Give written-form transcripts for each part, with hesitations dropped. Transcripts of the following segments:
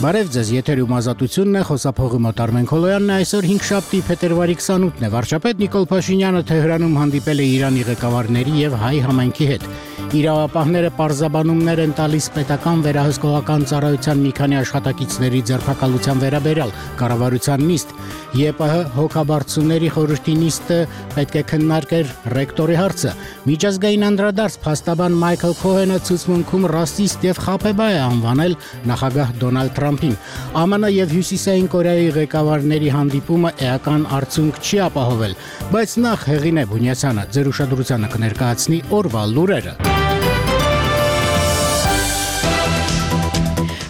Բարև ձեզ, եթերում ազատությունն է, խոսափողի մոտ Արմեն Քոլոյանն է, այսօր 5-շաբթի փետրվարի 28-ն է, վարչապետ Նիկոլ Փաշինյանը Թեհրանում հանդիպել է Իրանի ղեկավարների եւ հայ համայնքի հետ։ Իրավապահները պարզաբանումներ են տալիս պետական վերահսկողական ծառայության մի քանի աշխատակիցների ձերբակալության վերաբերյալ կառավարության նիստ։ ԵՊՀ հոգաբարձուների խորհրդի նիստը պետք է քննարկեր ռեկտորի հարցը։ Միջազգային անդրադարձ փաստաբան Մայքլ Քոհենը ցուցմունքում ռասիստ եւ խաբեբայ է անվանել նախագահ Դոնալդ Թրամփին։ ԱՄՆ եւ Հյուսիսային Կորեայի ղեկավարների հանդիպումը էական արդյունք չի ապահովել, բայց նախ Հեղինե Բունյացյանը ձեր ուշադրությանը կներկայացնի օրվա լուրերը։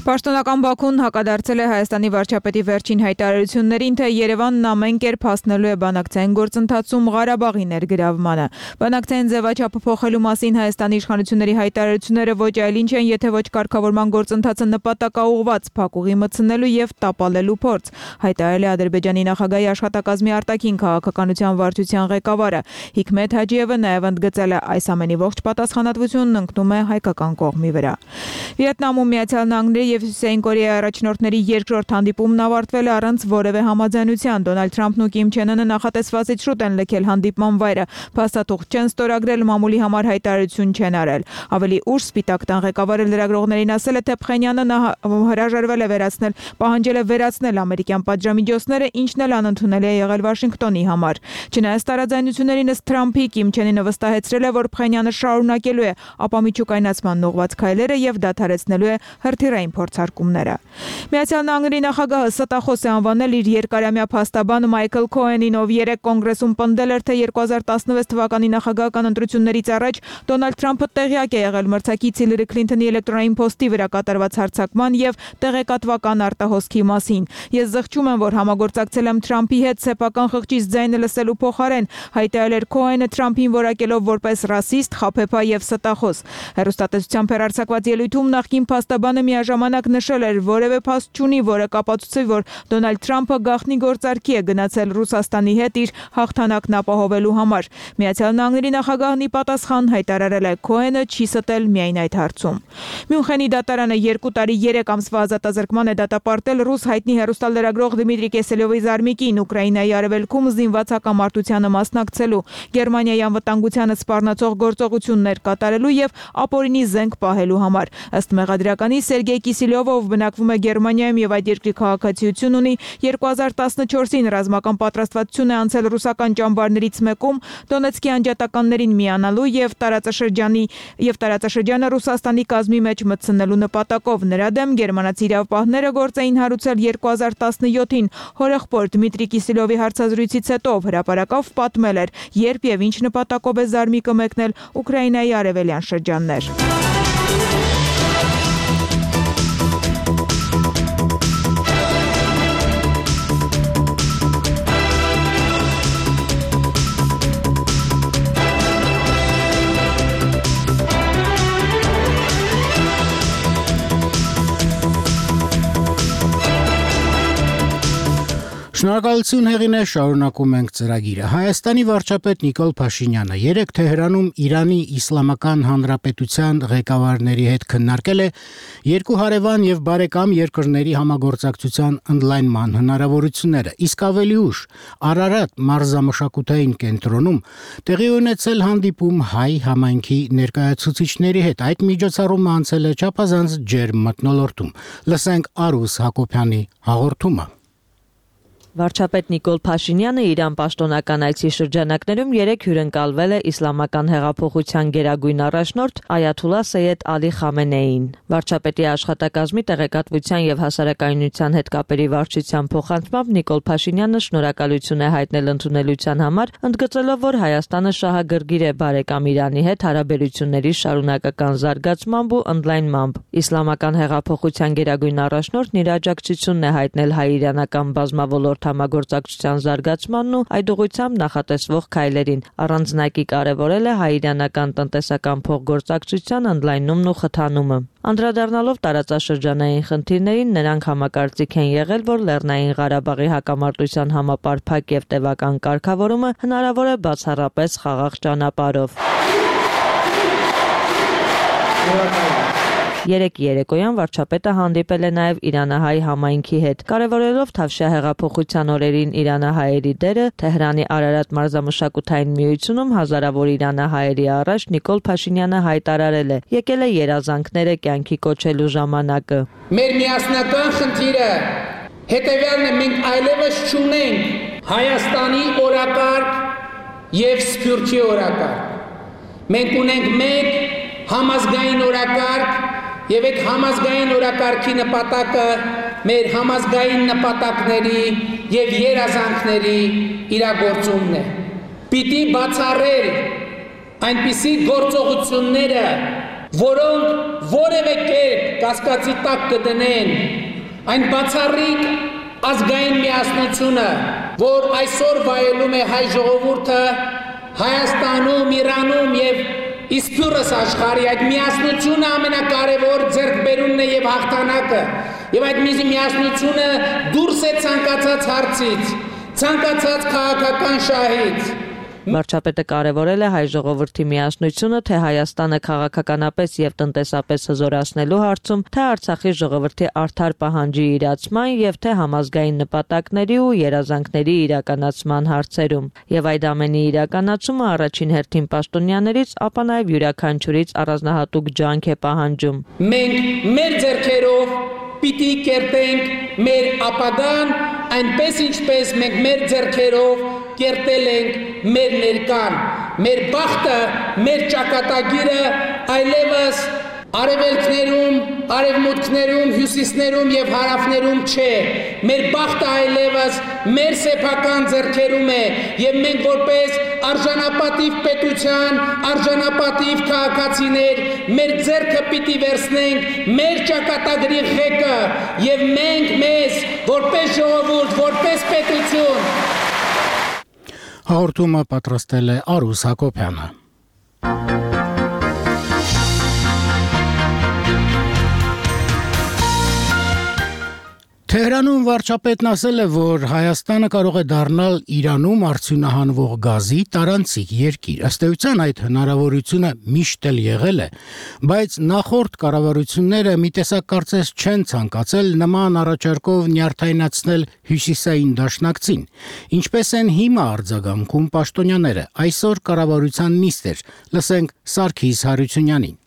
Պաշտոնական Բաքուն հակադարձել է Հայաստանի վարչապետի վերջին հայտարարություններին, թե Երևանն ամեն կերպ հասնելու է բանակցային գործընթացում Ղարաբաղի ներգրավմանը։ Բանակցային ձևաչափը փոխելու մասին Հայաստանի իշխանությունների հայտարարությունները ոչ այլ ինչ են, եթե ոչ կարգավորման գործընթացը նպատակաուղղված փակուղի մտցնելու եւ տապալելու փորձ, հայտարարել է Ադրբեջանի նախագահի աշխատակազմի արտաքին քաղաքականության վարչության ղեկավարը։ Հիկմետ Հաջիևը նաեւ ընդգծել է, այս ամենի ողջ պատասխանատվությունն ընկնում է հայկական կողմի վրա։ Վիետնամում Միացյալ Նահանգների եւ Հյուսիսային Կորեայի առաջնորդների երկրորդ հանդիպումն ավարտվել է առանց որևէ համաձայնության։ Դոնալդ Թրամփն ու Կիմ Չեն Ընը նախատեսվածից շուտ են լքել հանդիպման վայրը, փաստաթուղթ չեն ստորագրել, մամուլի համար հայտարարություն չեն արել։ Ավելի ուշ Սպիտակ տան ղեկավարը լրագրողներին ասել է, թե Փխենյանը հրաժարվել է պահանջել է վերացնել ամերիկյան պատժամիջոցները, ինչն էլ անընդունել է եղել Վաշինգտոնի համար։ Չնայած տարաձայնություններին ըստ Թրամփի, Կիմ Չեն Ընը վստահեցրել է, որ Փխենյանը շարունակելու է ապա միջուկայնացման ուղղված քայլերը եւ դադարեցնելու է հրթիռային փորձարկումները։ Միացյալ Նահանգների նախագահը ստախոս է անվանել իր երկարամյա փաստաբան Մայքլ Քոհենին, ով երեկ կոնգրեսում պնդել էր, թե 2016 թվականի նախագահական ընտրություններից առաջ Դոնալդ Թրամփը տեղյակ է եղել մրցակից Հիլարի Քլինթոնի էլեկտրոնային փոստի վրա կատարված հարձակման եւ տեղեկատվական արտահոսքի մասին։ Ես զղջում եմ, որ համագործակցել եմ Թրամփի հետ սեփական խղճից ձայնը լսելու փոխարեն, հայտարարել էր Քոհենը Թրամփին որակելով որպես ռասիստ, խաբեբայ եւ ստախոս։ Հեռուստատեսությամբ հեռարձակված ելույթում նախկին փաստաբանը միաժամանակ նշել էր, որևէ փաստ չունի, որը կապացուցի, որ Դոնալդ Թրամփը գաղտնի գործարքի է գնացել Ռուսաստանի հետ իր հաղթանակն ապահովելու համար։ Միացյալ Նահանգների նախագահն ի պատասխան հայտարարել է, Քոհենը չի ստել միայն այդ հարցում։ Մյունխենի դատարանը 2 տարի 3 ամսվա ազատազրկման է դատապարտել ռուս հայտնի հեռուստալրագրող Դմիտրի Կեսելյովի զարմիկին Ուկրաինայի արևելքում զինված հակամարտությանը մասնակցելու, Գերմանիայի անվտանգությանը սպառնացող գործողություններ կատարելու եւ ապօրինի զենք պահելու համար։ Ըստ մեղադրականի Սերգեյ Կիսիլյովը, ով բնակվում է Գերմանիայում եւ այդ երկրի քաղաքացիություն ունի, 2014-ին ռազմական պատրաստվածություն է անցել ռուսական ճամբարներից մեկում Դոնեցկի անջատականներին միանալու եւ տարածաշրջանը Ռուսաստանի կազմի մեջ մտցնելու նպատակով։ Նրա դեմ գերմանացի իրավապահները գործ էին հարուցել 2017-ին հորեղբոր Դմիտրի Կիսիլյովի հարցազրույցից հետո, հրապարակավ պատմել էր, երբ եւ ինչ նպատակով է զարմիկը մեկնել Ուկրաինայի արևելյան շրջաններ։ Շնորհակալություն Հեղինե, շարունակում ենք ծրագիրը։ Հայաստանի վարչապետ Նիկոլ Փաշինյանը երեկ Թեհրանում Իրանի Իսլամական Հանրապետության ղեկավարների հետ քննարկել է երկու հարևան եւ բարեկամ երկրների համագործակցության ընդլայնման հնարավորությունները։ Իսկ ավելի ուշ Արարատ մարզամշակութային կենտրոնում տեղի ունեցել հանդիպում հայ համայնքի ներկայացուցիչների հետ։ Այդ միջոցառումը անցել է չափազանց ջերմ մթնոլորտում։ Լսենք Արուս Հակոբյանի հաղորդումը։ Վարչապետ Նիկոլ Փաշինյանը Իրան պաշտոնական այցի շրջանակներում երեկ հյուրընկալվել է իսլամական հեղափոխության գերագույն առաջնորդ Այաթոլլահ Սեյեդ Ալի Խամենեիին։ Վարչապետի աշխատակազմի տեղեկատվության եւ հասարակայնության հետ կապերի վարչության փոխանցմամբ Նիկոլ Փաշինյանը շնորհակալություն է հայտնել ընդունելության համար, ընդգծելով, որ Հայաստանը շահագրգիռ է բարեկամ Իրանի հետ հարաբերությունների շարունակական զարգացմամբ ու ընդլայնմամբ։ Իսլամական հեղափոխության գերագույն առաջնորդն իր աջակցությունն է հայտնել հայ-իրանական բազմավոլորտ համագործակցության զարգացմանն ու այդ ուղղությամբ նախատեսվող քայլերին, առանձնակի կարևորել է հայ-իրանական տնտեսական փոխգործակցության ընդլայնումն ու խթանումը։ Անդրադառնալով տարածաշրջանային խնդիրներին, նրանք համակարծիք են եղել, որ Լեռնային Ղարաբաղի հակամարտության համապարփակ եւ տևական կարգավորումը հնարավոր է բացառապես խաղաղ ճանապարհով։ Երեկ երեկոյան վարչապետը հանդիպել է նաև իրանահայ համայնքի հետ, կարևորելով Թավշյա հեղափոխության օրերին իրանահայերի դերը, Թեհրանի Արարատ մարզամշակութային միությունում հազարավոր իրանահայերի առաջ Նիկոլ Փաշինյանը հայտարարել է. եկել է երազանքները կյանքի կոչելու ժամանակը։ Մեր միասնական խնդիրը հետևյալն է, մենք այլևս չունենք Հայաստանի օրակարգ եւ Սփյուռքի օրակարգ։ Մենք ունենք մեկ համազգային օրակարգ եւ այդ համազգային օրակարգի նպատակը մեր համազգային նպատակների եւ երազանքների իրագործումն է։ Պիտի բացառել այնպիսի գործողությունները, որոնք որևէ կերպ կասկածի տակ կդնեն այն բացառիկ ազգային միասնությունը, որ այսօր վայելում է հայ ժողովուրդը Հայաստանում, Իրանում եւ Իսպյուրս աշխարհի, այդ միասնությունը ամենակարևոր ձեռքբերումն է եւ հաղթանակը, եւ այդ միասնությունը դուրս է ցանկացած հարցից, ցանկացած քաղաքական շահից։ Վարչապետը կարևորել է հայ ժողովրդի միասնությունը թե Հայաստանը քաղաքականապես եւ տնտեսապես հզորացնելու հարցում, թե Արցախի ժողովրդի արդար պահանջի իրացման եւ թե համազգային նպատակների ու երազանքների իրականացման հարցերում։ Եվ այդ ամենի իրականացումը առաջին հերթին պաշտոնյաներից, ապա նաեւ յուրաքանչյուրից առանձնահատուկ ջանք է պահանջում։ Մենք մեր ձեռքերով պիտի կերտենք մեր ապագան, այնպես ինչպես մենք մեր ձեռքերով կերտել ենք մեր ներկան, մեր բախտը, մեր ճակատագիրը այլևս արևելքներում, արևմուտքներում, հյուսիսներում եւ հարավներում չէ, մեր բախտը այլևս մեր սեփական ձեռքերում է եւ մենք որպես արժանապատիվ պետության, արժանապատիվ քաղաքացիներ մեր ձեռքը պիտի վերցնենք մեր ճակատագրի ղեկը եւ մենք մեզ որպես ժողովուրդ, որպես պետություն Հաղորդումը պատրաստել է Արուս Հակոբյանը։ Թեհրանում վարչապետն ասել է, որ Հայաստանը կարող է դառնալ Իրանում արդյունահանվող գազի տարանցիկ երկիր։ Ըստ էության այդ հնարավորությունը միշտ էլ եղել է, բայց նախորդ կառավարությունները մի տեսակ կարծես չեն ցանկացել նման առաջարկով նյարդայնացնել հյուսիսային դաշնակցին։ Ինչպես են հիմա արձագանքում պաշտոնյաները։ Այսօր կառավարության նիստ էր։ Լսենք Սարգիս Հարությունյանին։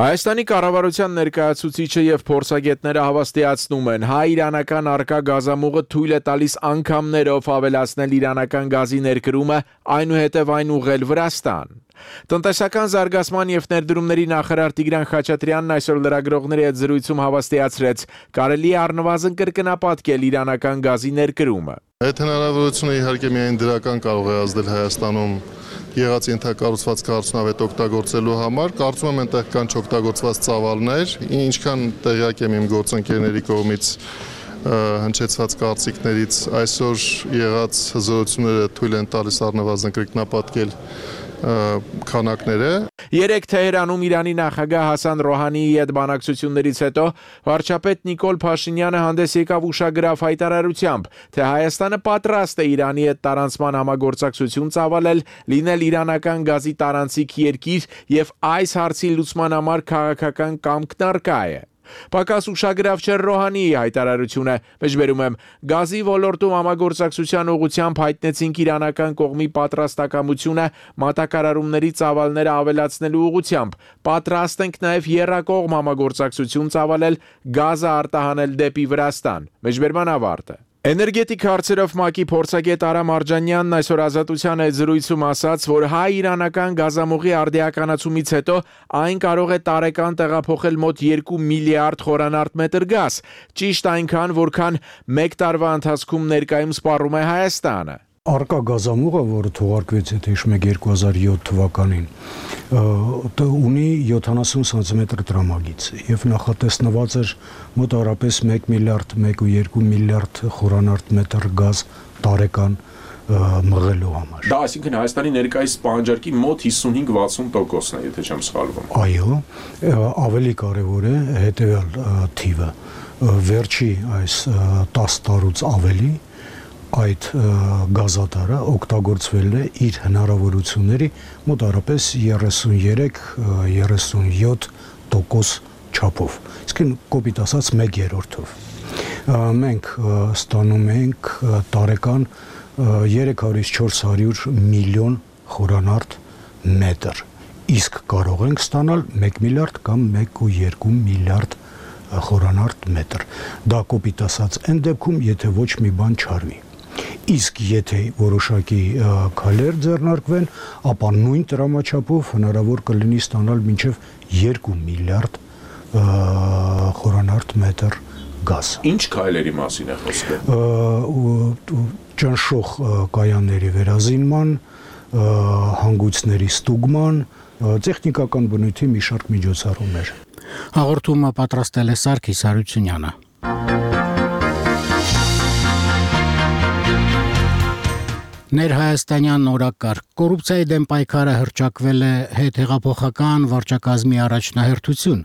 Հայաստանի կառավարության ներկայացուցիչը եւ փորձագետները հավաստիացնում են, հայ-իրանական առկա գազամուղը թույլ է տալիս անգամներով ավելացնել իրանական գազի ներկրումը, այնուհետև այն ուղղել Վրաստան։ Տնտեսական զարգացման եւ ներդրումների նախարար Տիգրան Խաչատրյանն այսօր լրագրողների հետ զրույցում հավաստիացրեց, կարելի է առնվազն կրկնապատկել իրանական գազի ներկրումը։ Այդ հնարավորությունը իհարկե միայն դրական կարող է ազդել Հայաստանում եղած ենթակառուցվածքը արդյունավետ օգտագործելու համար, կարծում եմ այնտեղ կան չօգտագործված ծավալներ, ինչքան տեղյակ եմ իմ գործընկերների կողմից հնչեցված կարծիքներից այսօր եղած հզորությունները թույլ են տալիս առնվազն կրկնապատկել քանակները։ Երեկ Թեհրանում Իրանի նախագահ Հասան Ռոհանիի հետ բանակցություններից հետո վարչապետ Նիկոլ Փաշինյանը հանդես եկավ ուշագրավ հայտարարությամբ, թե Հայաստանը պատրաստ է Իրանի հետ տարանցման համագործակցություն ծավալել, լինել իրանական գազի տարանցիկ երկիր եւ այս հարցի լուծման համար քաղաքական կամքն առկա է։ Պակաս ուշագրավ չէր Ռոհանիի հայտարարությունը, մեջբերում եմ, գազի ոլորտում համագործակցության ուղղությամբ հայտնեցինք իրանական կողմի պատրաստակամությունը մատակարարումների ծավալները ավելացնելու ուղղությամբ, պատրաստ ենք նաև եռակողմ համագործակցություն ծավալել գազը արտահանել դեպի Վրաստան, մեջբերման ավարտը։ Էներգետիկ հարցերով ՄԱԿ-ի փորձագետ Արամ Արջանյանն այսօր Ազատության հետ զրույցում ասաց, որ հայ-իրանական գազամուղի արդիականացումից հետո այն կարող է տարեկան տեղափոխել մոտ 2 միլիարդ խորանարդ մետր գազ, ճիշտ այնքան, որքան 1 տարվա ընթացքում ներկայում սպառում է Հայաստանը։ Արկա գազամուղը, որը թողարկվեց եթե հիշում եք 2007 թվականին, ունի 70 սանտիմետր տրամագիծ եւ նախատեսնված էր մոտավորապես 1 միլիարդ 1.2 միլիարդ խորանարդ մետր գազ տարեկան մղելու համար։ Դա այսինքն Հայաստանի ներկայիս պահանջարկի մոտ 55-60%-ն է, եթե չեմ սխալվում։ Այո, ավելի կարևոր է հետեւյալ թիվը։ Վերջի այս 10 տարուց ավելի այդ գազատարը օգտագործվել է իր հնարավորությունների մոտավորապես 33-37 1% չափով, իսկ կոպիտ ասած 1/3-ով։ Մենք ստանում ենք տարեկան 300-ից 400 միլիոն խորանարդ մետր, իսկ կարող ենք ստանալ 1 միլիարդ կամ 1.2 միլիարդ խորանարդ մետր։ Դա կոպիտ ասած այն դեպքում, եթե ոչ մի բան չարվի։ Իսկ եթե որոշակի քայլեր ձեռնարկվեն, ապա նույն տրամաչափով հնարավոր կլինի ստանալ մինչև 2 միլիարդ խորանարդ մետր գազ։ Ինչ քայլերի մասին է խոսքը։ Ճնշող կայանների վերազինման, հանգույցների ստուգման, տեխնիկական բնույթի մի շարք միջոցառումներ։ Հաղորդումը պատրաստել է Սարգիս Հարությունյանը։ Ներհայաստանյան օրակարգ կոռուպցիայի դեմ պայքարը հռչակվել է հետհեղափոխական վարչակազմի առաջնահերթություն։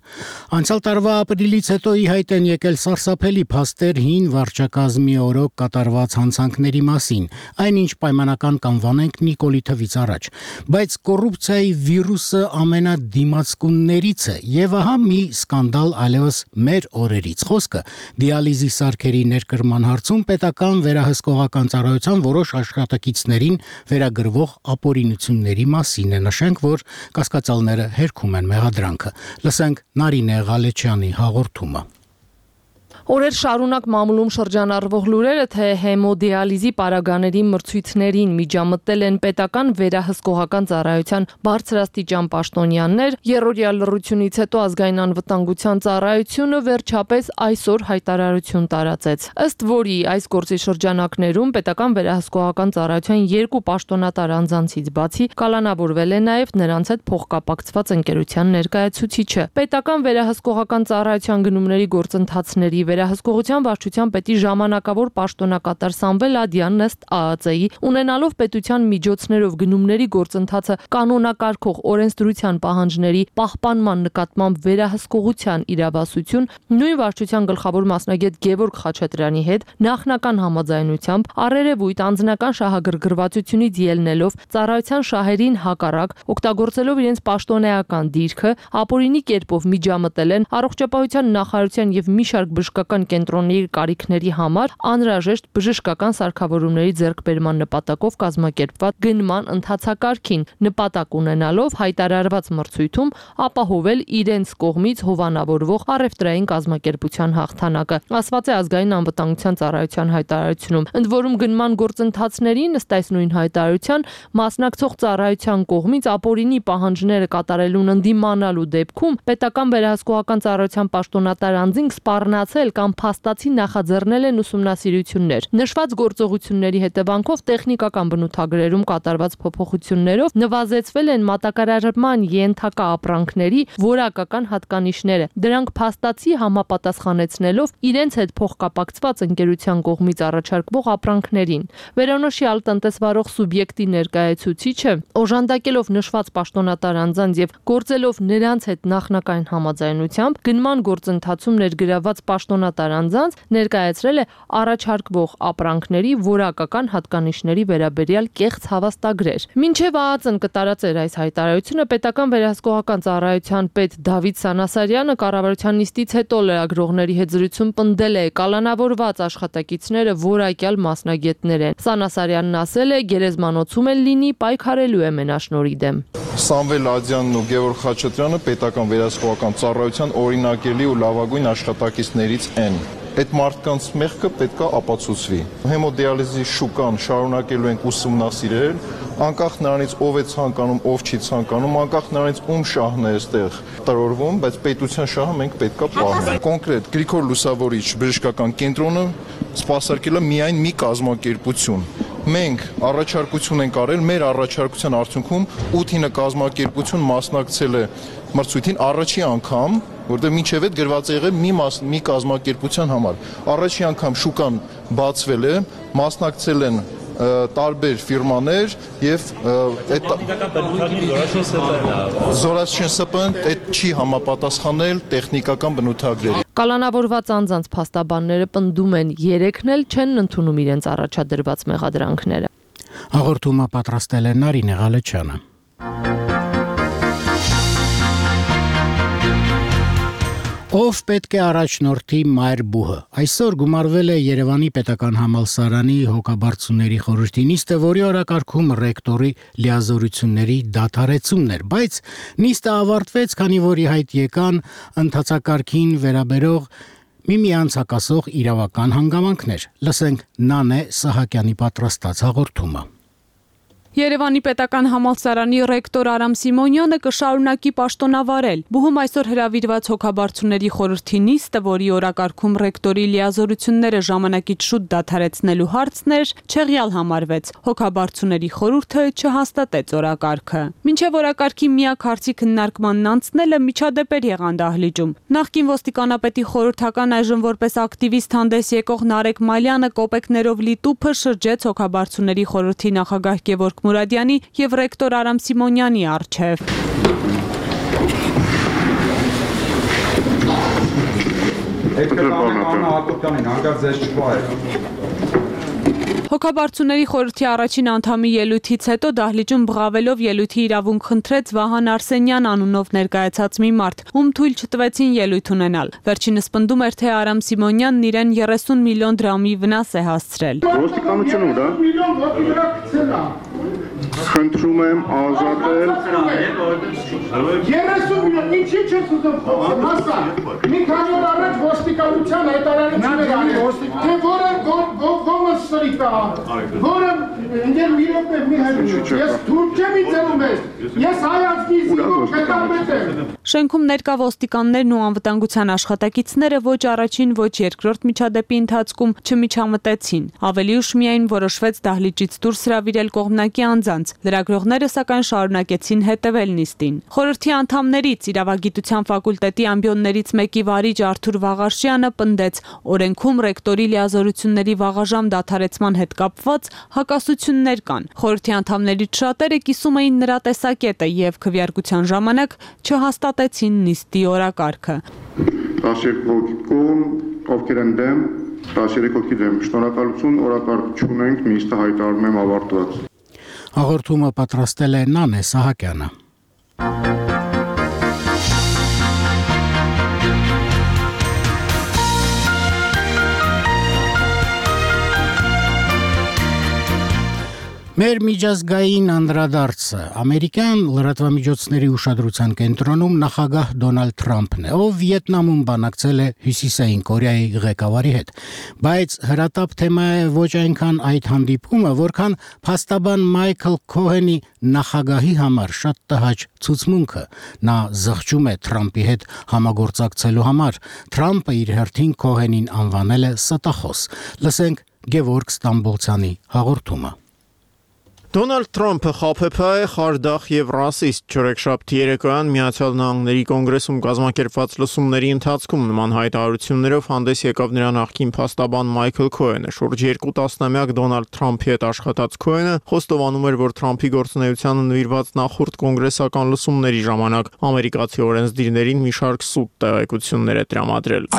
Անցյալ տարվա ապրիլից հետո ի հայտ են եկել սարսափելի փաստեր հին վարչակազմի օրոք կատարված հանցանքների մասին, այնինչ պայմանական կանվանենք Նիկոլի թվից առաջ։ Բայց կոռուպցիայի վիրուսը ամենադիմացկուններից է, եւ ահա մի սկանդալ այլևս մեր օրերից։ Խոսքը դիալիզի սարքերի ներկրման հարցում պետական վերահսկողական ծառայության որոշ աշխատակիցներին վերագրվող ապօրինությունների մասին է։ Նշենք, որ կասկածալները հերքում են մեղադրանքը։ Լսենք Նարինե Ղալեչյանի հաղորդումը։ Օրեր շարունակ մամուլում շրջանառվող լուրերը, թե հեմոդիալիզի պարագաների մրցույթներին միջամտել են պետական վերահսկողական ծառայության բարձրաստիճան պաշտոնյաներ, երրորդյա լռությունից հետո ազգային անվտանգության ծառայությունը վերջապես այսօր հայտարարություն տարածեց, ըստ որի այս գործի շրջանակներում պետական վերահսկողական ծառայության երկու պաշտոնատար անձանցից բացի կալանավորվել է նաև նրանց հետ փոխկապակցված ընկերության ներկայացուցիչը։ Պետական վերահսկողական ծառայության գնումների գործընթացների Վերահսկողության վարչության պետի ժամանակավոր պաշտոնակատար Սամվել Ադյանն ըստ ԱԱԾ-ի ունենալով պետության միջոցներով գնումների գործընթացը կանոնակարգող օրենսդրության պահանջների պահպանման նկատմամբ վերահսկողության իրավասություն նույն վարչության գլխավոր մասնագետ Գևորգ Խաչատրյանի հետ նախնական համաձայնությամբ առերևույթ անձնական շահագրգռվածությունից ելնելով ծառայության շահերին հակառակ օգտագործելով իրենց պաշտոնեական դիրքը ապօրինի կերպով միջամտել են առողջապահության նախարարության եւ մի շարք բժշկական կենտրոնների կարիքների համար անհրաժեշտ բժշկական սարքավորումների ձեռքբերման նպատակով կազմակերպված գնման ընթացակարգին նպատակ ունենալով հայտարարված մրցույթում ապահովել իրենց կողմից հովանավորվող առևտրային կազմակերպության հաղթանակը, ասված է ազգային անվտանգության ծառայության հայտարարությունում։ Ընդ որում գնման գործընթացներին ըստ այս նույն հայտարարության մասնակցող ծառայության կողմից ապօրինի պահանջները կատարելուն ընդդիմանալու դեպքում պետական վերահսկողական ծառայության պաշտոնատար անձին սպառնացել կամ փաստացի նախաձեռնել են ուսումնասիրություններ։ Նշված գործողությունների հետևանքով տեխնիկական բնութագրերում կատարված փոփոխություններով նվազեցվել են մատակարարման ենթակա ապրանքների որակական հատկանիշները։ Դրանք փաստացի համապատասխանեցնելով իրենց հետ փոխկապակցված ընկերության կողմից առաջարկվող ապրանքներին։ Վերոնոշյալ տնտեսվարող սուբյեկտի ներկայացուցիչը օժանդակելով նշված պաշտոնատար անձանց եւ գործելով նրանց հետ նախնական համաձայնությամբ գնման գործընթացում ներգրաված պաշտոնատար անձանց ներկայացրել է առաջարկվող ապրանքների որակական հատկանիշների վերաբերյալ կեղծ հավաստագրեր։ Մինչև ԱԱԾ-ն կտարածեր այս հայտարարությունը, պետական վերահսկողական ծառայության պետ Դավիթ Սանասարյանը կառավարության նիստից հետո լրագրողների հետ զրույցում պնդել է կալանավորված աշխատակիցները որակյալ մասնագետներ են։ Սանասարյանն ասել է, գերեզմանոցում էլ լինի, պայքարելու է մենաշնորհի դեմ։ Սամվել Ադյանն ու Գևորգ Խաչատրյանը պետական վերահսկողական ծառայության օրինակելի ու լավագույն աշխատակիցներից են։ Այդ մարդկանց մեղքը պետքա ապացուցվի։ Հեմոդիալիզի շուկան շարունակելու ենք ուսումնասիրել, անկախ նրանից ով է ցանկանում, ով չի ցանկանում, անկախ նրանից ում շահն է այստեղ տրորվում, բայց պետության շահը մենք պետքա պահենք։ Կոնկրետ Գրիգոր Լուսավորիչ բժշկական կենտրոնը սպասարկել է միայն մի կազմակերպություն։ Մենք առաջարկություն ենք արել, մեր առաջարկության արդյունքում 8-9 կազմակերպություն մասնակցել է մրցույթին առաջի անգամ, որտեղ մինչև այդ գրված է եղել մի կազմակերպության համար։ Առաջի անգամ շուկան բացվել է, մասնակցել են տարբեր ֆիրմաներ եւ այդ Զորացչին ՍՊ-ն այդ չի համապատասխանել տեխնիկական բնութագրերի։ Կալանավորված անձանց փաստաբանները պնդում են 3-ն էլ չեն ընդունում իրենց առաջադրված մեղադրանքները։ Հաղորդումը պատրաստել է Նարինե Ղալեչյանը։ Ով պետք է առաջնորդի մայր բուհը։ Այսօր գումարվել է Երևանի պետական համալսարանի հոգաբարձուների խորհրդի նիստը, որի օրակարգում ռեկտորի լիազորությունների դադարեցումն էր, բայց նիստը ավարտվեց, քանի որ ի հայտ եկան ընթացակարգին վերաբերող միմյանց հակասող իրավական հանգամանքներ։ Լսենք Նանե Սահակյանի պատրաստած հաղորդումը։ Երևանի պետական համալսարանի ռեկտոր Արամ Սիմոնյանը կշարունակի պաշտոնավարել։ Բուհում այսօր հրավիրված հոգաբարձուների խորհրդի նիստը, որի օրակարգում ռեկտորի լիազորությունները ժամանակից շուտ դադարեցնելու հարցն էր, չեղյալ համարվեց։ Հոգաբարձուների խորհուրդը չհաստատեց օրակարգը։ Մինչև օրակարգի միակ հարցի քննարկմանն անցնելը միջադեպեր եղան դահլիճում։ Նախկին ոստիկանապետի խորհրդական, այժմ որպես ակտիվիստ հանդես եկող Նարեկ Մալյանը կոպեկներով լի տուփը շրջեց հոգաբարձուների խորհրդի նախագահ Գևորգ Մուրադյանի եւ ռեկտոր Արամ Սիմոնյանի առջև։ Հոգաբարձուների խորհրդի առաջին անդամի ելույթից հետո դահլիճում բղավելով ելույթի իրավունք խնդրեց Վահան Արսենյան անունով ներկայացած մի մարդ, ում թույլ չտվեցին ելույթ ունենալ։ Վերջինս պնդում էր, թե Արամ Սիմոնյանն իրեն 30 միլիոն դրամի վնաս է հասցրել։ Ոստիկանությունը ուր է։ Խնդրում եմ ազատել 30 միլիոն, ինչի՞ չես ուզում խոսել, հասա։ Մի քանի օր առաջ ոստիկանության հայտարարություն էր արել, թե որը սրիկ է, որը մի րոպե մի հրճ, ես թուրք չեմ իծելում ես, ես հայացքի զինվոր պետամետ եմ։ Շենքում ներկա ոստիկաններն ու անվտանգության աշխատակիցները ոչ առաջին, ոչ երկրորդ միջադեպի ընթացքում չմիջամտեցին։ Ավելի ուշ միայն որոշվեց դահլիճից դուրս հրավիրել կողմնակի անձանց։ Լրագրողները սակայն շարունակեցին հետևել նիստին։ Խորհրդի անդամներից իրավագիտության ֆակուլտետի ամբիոններից մեկի վարիչ Արթուր Վաղարշյանը պնդեց, օրենքում ռեկտորի լիազորությունների վաղաժամ դադարեցման հետ կապված հակասություններ կան։ Խորհրդի անդամներից շատերը կիսում էին նրա տեսակետը եւ քվեարկության ժամանակ չհաստատեցին նիստի օրակարգը։ 12 հոգի կողմ, ովքեր են դեմ, 13 հոգի դեմ։ Շնորհակալություն, օրակարգ չունենք, նիստը հայտարարում եմ ավարտված։ Հաղորդումը պատրաստել է Նանե Սահակյանը։ Մեր միջազգային անդրադարձը ամերիկյան լրատվամիջոցների ուշադրության կենտրոնում նախագահ Դոնալդ Թրամփն է, ով Վիետնամում բանակցել է Հյուսիսային Կորեայի ղեկավարի հետ, բայց հրատապ թեմա է ոչ այնքան այդ հանդիպումը, որքան փաստաբան Մայքլ Քոհենի նախագահի համար շատ տհաճ ցուցմունքը։ Նա զղջում է Թրամփի հետ համագործակցելու համար։ Թրամփը իր հերթին Քոհենին անվանել է ստախոս։ Լսենք Գևորգ Ստամբոլցյանի հաղորդումը։ Դոնալդ Թրամփը խաբեբայ է, խարդախ եւ ռասիստ։ Չորեքշաբթի երեկոյան Միացյալ Նահանգների կոնգրեսում կազմակերպված լսումների ընթացքում նման հայտարարություններով հանդես եկավ նրա նախկին փաստաբան Մայքլ Քոհենը։ Շուրջ 2 տասնամյակ Դոնալդ Թրամփի հետ աշխատած Քոհենը խոստովանում էր, որ Թրամփի գործունեությանը նվիրված նախորդ կոնգրեսական լսումների ժամանակ ամերիկացի օրենսդիրներին մի շարք սուտ տեղեկություններ է տրամադրել։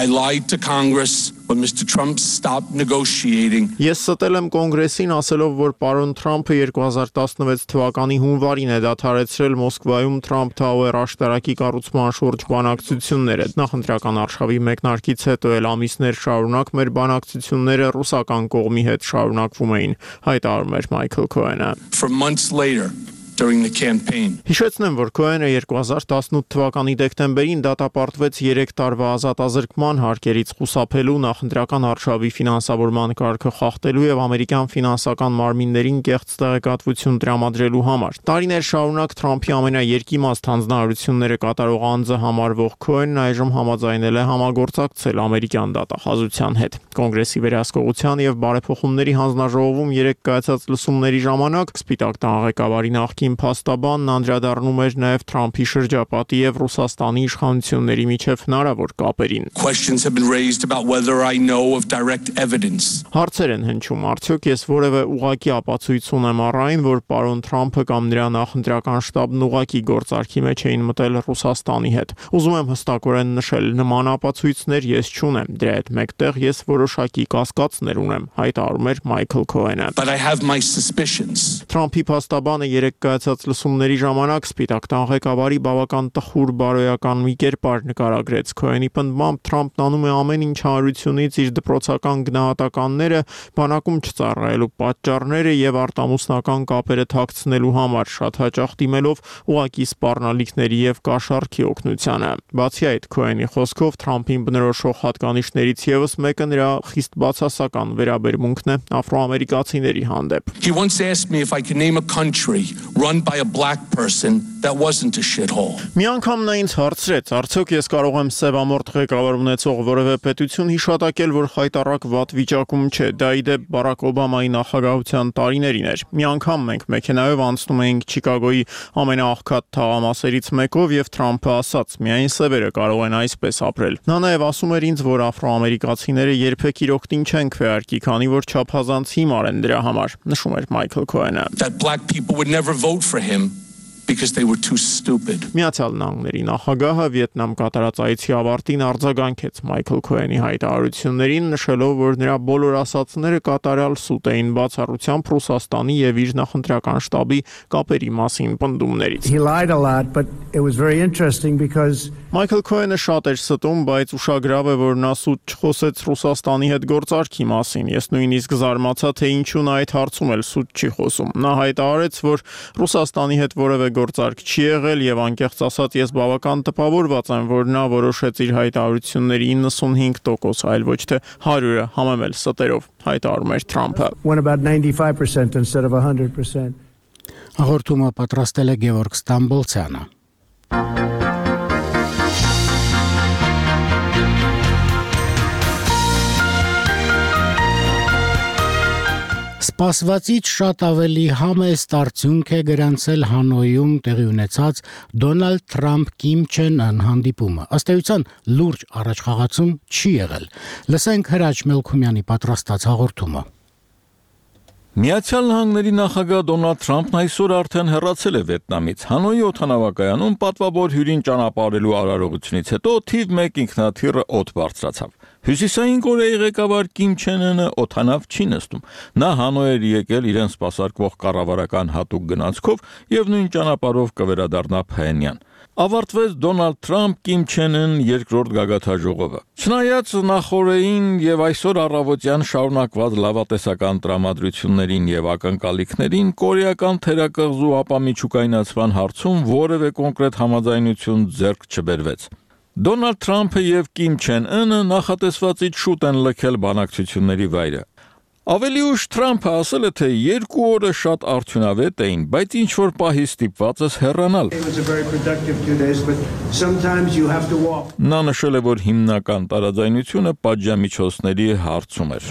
Ես ստել եմ կոնգրեսին ասելով, որ պարոն Թրամփը 2016 թվականի հունվարին է դադարեցրել Մոսկվայում Trump Tower աշտարակի կառուցման շուրջ բանակցությունները։ Նախընտրական արշավի մեկնարկից հետո էլ ամիսներ շարունակ մեր բանակցությունները ռուսական կողմի հետ շարունակվում էին, հայտարարում էր Մայքլ Քոհենը։ Հիշեցնեմ, որ Քոհենը 2018 թվականի դեկտեմբերին դատապարտվեց 3 տարվա ազատազրկման հարկերից խուսափելու, նախընտրական արշավի ֆինանսավորման կարգը խախտելու եւ ամերիկյան ֆինանսական մարմիններին կեղծ տեղեկատվություն տրամադրելու համար։ Տարիներ շարունակ Թրամփի ամենաերկիմաստ հանձնարարությունները կատարող անձը համարվող Քոհենն այժմ համաձայնել է համագործակցել ամերիկյան դատախազության հետ։ Կոնգրեսի վերահսկողության եւ բարեփոխումների հանձնաժողովում 3 կայացած լսումների ժամանակ Սպիտակ տան ղեկավարի նախկին փաստաբանն անդրադառնում էր նաև Թրամփի շրջապատի եւ Ռուսաստանի իշխանությունների միջև հնարավոր կապերին։ Հարցեր են հնչում, արդյոք ես որևէ ուղղակի ապացույց ունեմ առ այն, որ պարոն Թրամփը կամ նրա նախընտրական շտաբն ուղղակի գործարքի մեջ էին մտել Ռուսաստանի հետ։ Ուզում եմ հստակորեն նշել, նման ապացույցներ ես չունեմ, դրա հետ մեկտեղ ես որոշակի կասկածներ ունեմ, հայտարարում էր Մայքլ Քոհենը։ Թրամփի փաստաբանը 3 կայացած լսումների ժամանակ Սպիտակ տան ղեկավարի բավական տխուր բարոյական մի կերպար նկարագրեց։ Քոենի պնդմամբ Թրամփն անում է ամեն ինչ հանրությունից իր դպրոցական գնահատականները, բանակում չծառայելու պատճառները եւ արտամուսնական կապերը թաքցնելու համար, շատ հաճախ դիմելով ուղակի սպառնալիքների եւ կաշառքի օգնությանը։ Բացի այդ, Քոենի խոսքով Թրամփին բնորոշող հատկանիշներից եւս մեկը նրա խիստ բացասական վերաբերմունքն է աֆրոամերիկացիների հանդեպ։ He once asked me if I could name a country run by a black person that wasn't a shithole. Մի անգամ նա ինձ հարցրեց, արդյոք ես կարող եմ սևամորթ ղեկավար ունեցող որևէ պետություն հիշատակել, որ խայտառակ վատ վիճակում չէ։ Դա ի դեպ Բարակ Օբամայի նախագահության տարիներին էր։ Մի անգամ մենք մեքենայով անցնում էինք Չիկագոյի ամենաաղքատ թաղամասերից մեկով եւ Թրամփը ասաց. «Միայն սևերը կարող են այսպես ապրել»։ Նա նաեւ ասում էր ինձ, որ աֆրոամերիկացիները երբեք իրոք տին չեն քվեարկի, քանի որ չափազանց հիմար են դրա համար, նշում էր Մայքլ Քոենը։ That black people would never vote for him because they were too stupid. Միացյալ Նահանգների նախագահը Վիետնամ կատարած այցի ավարտին արձագանքեց Մայքլ Քոենի հայտարարություններին, նշելով, որ նրա բոլոր ասածները կատարյալ սուտ էին բացառությամբ Ռուսաստանի եւ իր նախընտրական շտաբի կապերի մասին պնդումներից։ He lied a lot, but it was very interesting because Մայքլ Քոենը շատ էր ստում, բայց ուշագրավ է, որ նա սուտ չխոսեց Ռուսաստանի հետ գործարքի մասին։ Ես նույնիսկ զարմացա, թե ինչու նա այդ հարցում էլ սուտ չի խոսում։ Նա հայտարարեց, որ Ռուսաստանի հետ որևէ գործարք չի եղել եւ անկեղծ ասած ես բավական տպավորված եմ, որ նա որոշեց իր հայտարարությունների 95%, այլ ոչ թե 100-ը համեմել ստերով, հայտարարում էր Թրամփը։ Went about 95% instead of 100%. Հաղորդումը պատրաստել է Գևորգ Ստամբոլցյանը։ Սպասվածից շատ ավելի համեստ արդյունք է գրանցել Հանոյում տեղի ունեցած Դոնալդ Թրամփ-Կիմ Չեն Ըն հանդիպումը։ Ըստ էության լուրջ առաջխաղացում չի եղել։ Լսենք Հրաչ Մելքումյանի պատրաստած հաղորդումը։ Միացյալ Նահանգների նախագահ Դոնալդ Թրամփն այսօր արդեն հեռացել է Վիետնամից։ Հանոյի օդանավակայանում պատվավոր հյուրին ճանապարհելու արարողությունից հետո թիվ 1 ինքնաթիռը օդ բարձրացավ։ Հյուսիսային Կորեայի ղեկավար Կիմ Չեն Ընը օդանավ չի նստում։ Նա Հանոյ էր եկել իրեն սպասարկվող կառավարական հատուկ գնացքով եւ նույն ճանապարհով կվերադառնա Փհենյան։ Ավարտվեց Դոնալդ Թրամփ-Կիմ Չեն Ըն երկրորդ գագաթաժողովը։ Չնայած նախորդին եւ այսօր առավոտյան շարունակված լավատեսական տրամադրություններին եւ ակնկալիքներին, կորեական թերակղզու ապամիջուկայնացման հարցում որևէ կոնկրետ համաձայնություն ձեռք չբերվեց։ Դոնալդ Թրամփը եւ Կիմ Չեն Ընը նախատեսվածից շուտ են լքել բանակցությունների վայրը։ Ավելի ուշ Թրամփը ասել է, թե 2 օրը շատ արդյունավետ էին, բայց ինչ որ պահի ստիպված ես հեռանալ։ Նա նշել է, որ հիմնական տարաձայնությունը պատժամիջոցների հարցում էր։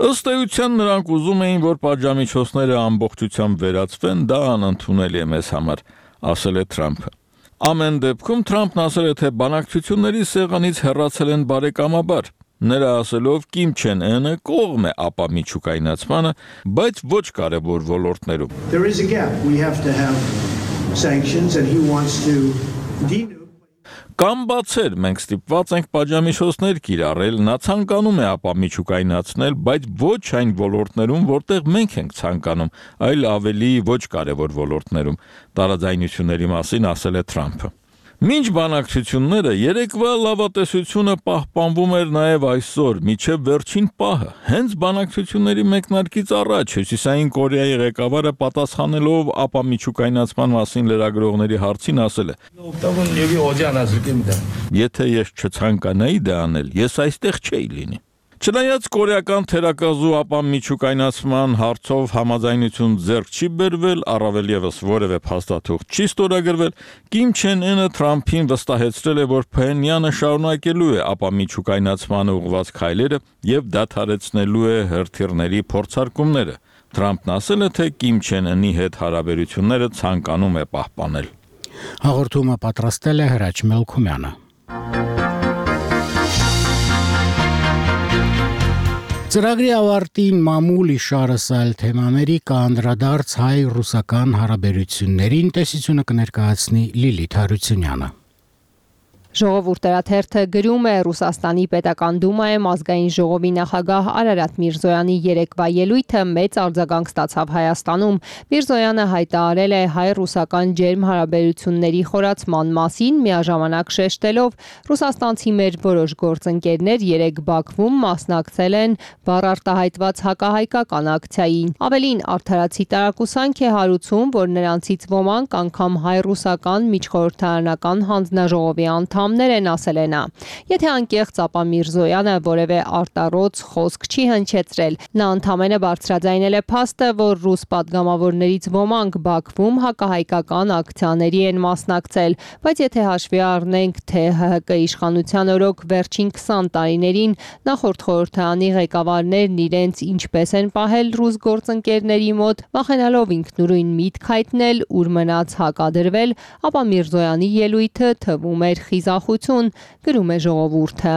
Ըստ էության նրանք ուզում էին, որ պատժամիջոցները ամբողջությամբ վերացվեն, դա անընդունելի է մեզ համար, ասել է Թրամփը։ Ամեն դեպքում Թրամփն ասել է, թե բանակցությունների սեղանից հեռացել են բարեկամաբար։ Նրա ասելով Կիմ Չեն Ընը կողմ է ապամիջուկայնացմանը, բայց ոչ կարևոր ոլորտներում։ There is a gap. We have to have sanctions and he wants to Կամ բացեր, մենք ստիպված ենք պատժամիջոցներ կիրառել, նա ցանկանում է ապամիջուկայնացնել, բայց ոչ այն ոլորտներում, որտեղ մենք ենք ցանկանում, այլ ավելի ոչ կարևոր ոլորտներում, տարաձայնությունների մասին ասել է Թրամփը։ Մինչ բանակցությունները երեկվա լավատեսությունը պահպանվում էր նաև այսօր, մինչև վերջին պահը։ Հենց բանակցությունների մեկնարկից առաջ Հյուսիսային Կորեայի ղեկավարը պատասխանելով ապամիջուկայնացման մասին լրագրողների հարցին ասել է. Եթե ես չցանկանայի դա անել, ես այստեղ չէի լինի։ Չնայած կորեական թերակղզու ապամիջուկայնացման հարցով համաձայնություն ձեռք չի բերվել, առավել եւս որևէ փաստաթուղթ չի ստորագրվել, Կիմ Չեն Ընը Թրամփին վստահեցրել է, որ Փհենյանը շարունակելու է ապամիջուկայնացմանը ուղղված քայլերը եւ դադարեցնելու է հրթիռների փորձարկումները։ Թրամփն ասել է, թե Կիմ Չեն Ընի հետ հարաբերությունները ցանկանում է պահպանել։ Հաղորդումը պատրաստել է Հրաչ Մելքումյանը։ Ծրագրի ավարտին մամուլ իշարս այլ թեմաների կանդրադարձ հայ-ռուսական հարաբերություններին տեսությունը կներկայացնի Լիլիթ Հարությունյանը։ Ժողովուրդը գրում է Ռուսաստանի պետական դումայում ազգային ժողովի նախագահ Արարատ Միրզոյանի երեկվա ելույթը մեծ արձագանք ստացավ Հայաստանում։ Միրզոյանը հայտարարել է հայ-ռուսական ջերմ հարաբերությունների խորացման մասին, միաժամանակ շեշտելով ռուսաստանցի մեր որոշ գործընկերներ երեկ Բաքվում մասնակցել են բառարտահայտված հակահայկական ակցիային։ Ավելին արդարացի տարակուսանք է հարուցում, որ նրանցից ոմանք անգամ հայ-ռուսական միջխորհրդարանական հանձնաժողովի անդամներ են, ասել է նա։ Եթե անկեղծ, ապա Միրզոյանը որևէ արտառոց խոսք չի հնչեցրել։ Նա ընդամենը բարձրաձայնել է փաստը, որ ռուս պատգամավորներից ոմանք Բաքվում հակահայկական ակցիաների են մասնակցել, բայց եթե հաշվի առնենք, թե ՀՀԿ իշխանության օրոք վերջին 20 տարիներին նախորդ խորհրդարանի ղեկավարներն իրենց ինչպես են պահել ռուս գործընկերների մոտ, վախենալով ինքնուրույն միտք հայտնել, ուր մնաց հակադրվել, ապա Միրզոյանի ելույթը թվում էր խիզախություն, գրում է Ժողովուրդը։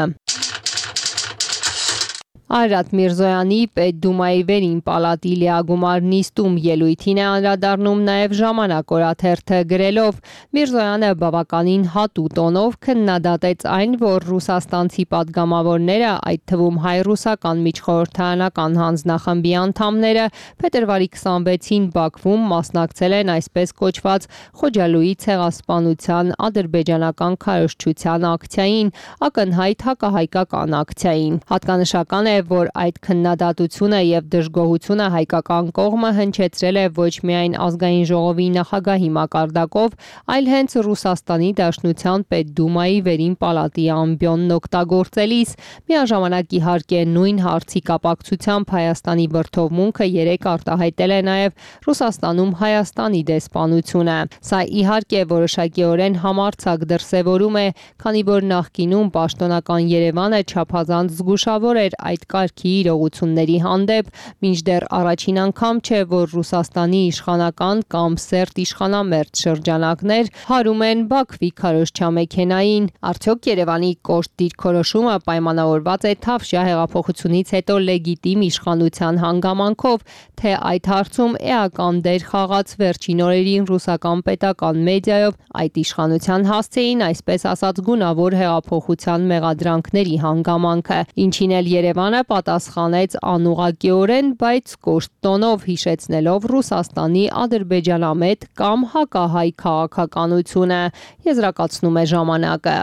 Արարատ Միրզոյանի Պետդումայի վերին պալատի լիագումար նիստում ելույթին է անդրադառնում նաև Ժամանակ օրաթերթը գրելով. Միրզոյանը բավականին հատու տոնով քննադատեց այն, որ ռուսաստանցի պատգամավորները, այդ թվում հայ-ռուսական միջխորհրդարանական հանձնախմբի անդամները, փետրվարի 26-ին Բաքվում մասնակցել են այսպես կոչված Խոջալույի ցեղասպանության ադրբեջանական քարոզչության ակցիային, ակնհայտ հակահայկական ակցիային։ Հատկանշական է, որ այդ քննադատությունը եւ դժգոհությունը հայկական կողմը հնչեցրել է ոչ միայն ազգային ժողովի նախագահի մակարդակով, այլ հենց Ռուսաստանի Դաշնության Պետդումայի վերին պալատի ամբիոնն օգտագործելիս, միաժամանակ իհարկե նույն հարցի կապակցությամբ Հայաստանի բրդովմունքը երեք արտահայտել է նաեւ Ռուսաստանում Հայաստանի դեսպանությունը։ Սա իհարկե որոշակիորեն համարձակ դրսևորում է, քանի որ նախկինում պաշտոնական Երևանը չափազանց զգուշավոր էր այդ կարգի իրողությունների հանդեպ, մինչդեռ առաջին անգամ չէ, որ Ռուսաստանի իշխանական կամ սերտ իշխանամերձ շրջանակներ հարում են Բաքվի քարոզչամեքենային։ Արդյոք Երևանի կոշտ դիրքորոշումը պայմանավորված է Թավշյա հեղափոխությունից հետո լեգիտիմ իշխանության հանգամանքով, թե այդ հարցում էական դեր խաղաց վերջին օրերին ռուսական պետական մեդիայով այդ իշխանության հասցեին, այսպես ասած, գունավոր հեղափոխության մեղադրանքների հանգամանքը, ինչին էլ Երևանը պատասխանեց անուղղակիորեն, բայց կոշտ տոնով, հիշեցնելով Ռուսաստանի ադրբեջանամետ կամ հակահայ քաղաքականությունը, եզրակացնում է Ժամանակը։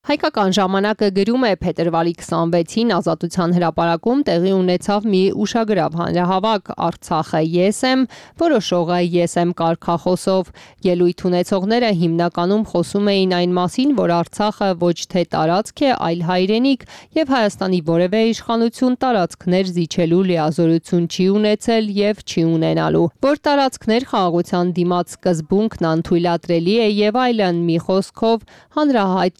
Հայկական ժամանակը գրում է փետրվարի 26-ին Ազատության հրապարակում տեղի ունեցավ մի ուշագրավ հանրահավաք Արցախը ես եմ, որոշողը ես եմ կարգախոսով։ Ելույթ ունեցողները հիմնականում խոսում էին այն մասին, որ Արցախը ոչ թե տարածք է, այլ հայրենիք, եւ Հայաստանի որևէ իշխանություն տարածքներ զիջելու լիազորություն չի ունեցել եւ չի ունենալու, որ տարածքներ խաղաղության դիմաց սկզբունքն անթույլատրելի է եւ այլն, մի խոսքով հանրահայտ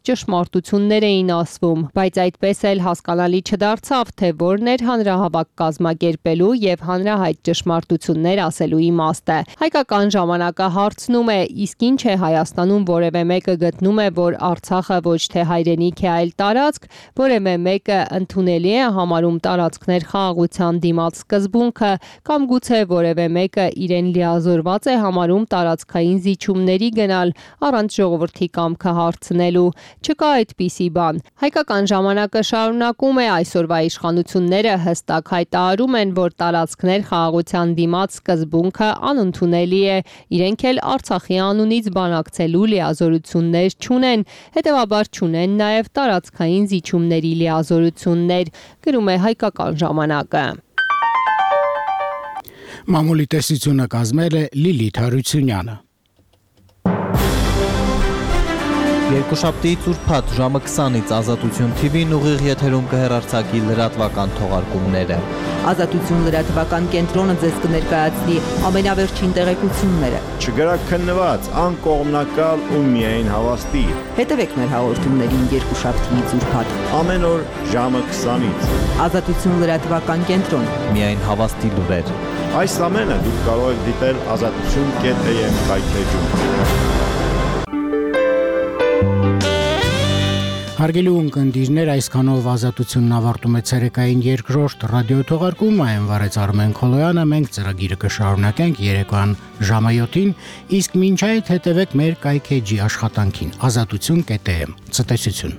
ճշմարտություններ էին ասվում, բայց այդպես էլ հասկանալի չդարձավ, թե որն էր հանրահավաք կազմակերպելու եւ հանրահայտ ճշմարտություններ ասելու իմաստը։ Հայկական ժամանակը հարցնում է, իսկ ինչ է Հայաստանում որևէ մեկը գտնում է, որ Արցախը ոչ թե հայրենիք է, այլ տարածք, որևէ մեկը ընդունելի է համարում տարածքներ խաղաղության դիմաց սկզբունքը, կամ գուցե որևէ մեկը իրեն լիազորված է համարում տարածքային զիջումների գնալ առանց ժողովրդի կամքը հարցնելու։ Չկա այդպիսի բան։ Հայկական ժամանակը շարունակում է, այսօրվա իշխանությունները հստակ հայտարարում են, որ տարածքներ խաղաղության դիմաց սկզբունքը անընդունելի է, իրենք էլ Արցախի անունից բանակցելու լիազորություններ չունեն, հետևաբար չունեն նաև տարածքային զիջումների լիազորություններ, գրում է Հայկական ժամանակը։ Մամուլի տեսությունը կազմել է Լիլիթ Հարությունյանը։ Երկուշաբթի ծուրփաթ ժամը 20-ից Ազատություն TV-ն ուղիղ եթերում կհեռարձակի լրատվական թողարկումները։ Ազատություն լրատվական կենտրոնը ձեզ կներկայացնի ամենավերջին տեղեկությունները։ Չգրակ քննված, անկողմնակալ ու միայն հավաստի։ Հետևեք մեր հաղորդումներին երկուշաբթի ծուրփաթ ամեն օր ժամը 20-ից։ Ազատություն լրատվական կենտրոն։ Միայն հավաստի լուրեր։ Այս ամենը դուք կարող եք դիտել azatutun.am-ում։ Հարգելի ունկնդիրներ, այսքանով ազատությունն ավարտում է ցերեկային երկրորդ ռադիոթողարկումը, այն վարեց Արմեն Քոլոյանը, մենք ծրագիրը կշարունակենք երեկոյան ժամը 7-ին, իսկ մինչ այդ հետևեք մեր կայքեջի աշխատանքին, ազատություն.am, ցտեսություն։